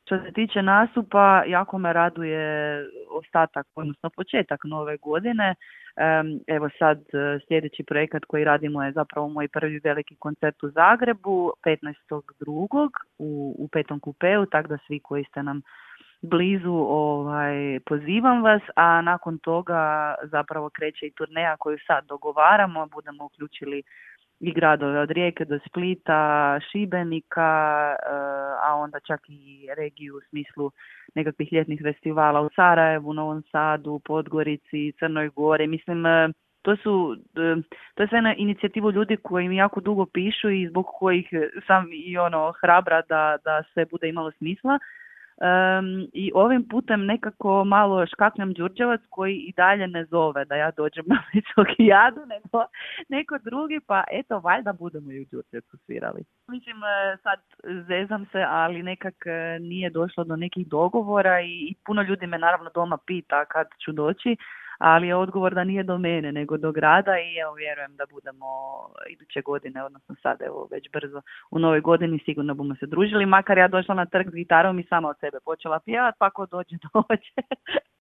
Što se tiče nastupa, jako me raduje ostatak, odnosno početak nove godine. Evo sad sljedeći projekat koji radimo je zapravo moj prvi veliki koncert u Zagrebu 15.2. u Petom kupeu, tako da svi koji ste nam blizu pozivam vas, a nakon toga zapravo kreće i turneja koju sad dogovaramo, budemo uključili i gradove od Rijeke do Splita, Šibenika, a onda čak i regiju u smislu nekakvih ljetnih festivala u Sarajevu, Novom Sadu, Podgorici, Crnoj Gori. Mislim, to je sve na inicijativu ljudi koji mi jako dugo pišu i zbog kojih sam i hrabra da sve bude imalo smisla. I ovim putem nekako malo škaknem Đurđevac koji i dalje ne zove da ja dođem na Visokijadu, nego neko drugi, pa eto, valjda budemo i u Đurđevcu svirali. Mislim, sad zezam se, ali nekak nije došlo do nekih dogovora i puno ljudi me naravno doma pita kad ću doći, ali je odgovor da nije do mene, nego do grada i evo vjerujem da budemo iduće godine, odnosno sad evo već brzo u novoj godini sigurno bomo se družili, makar ja došla na trg s gitarom i sama od sebe počela pjevati, pa ko dođe.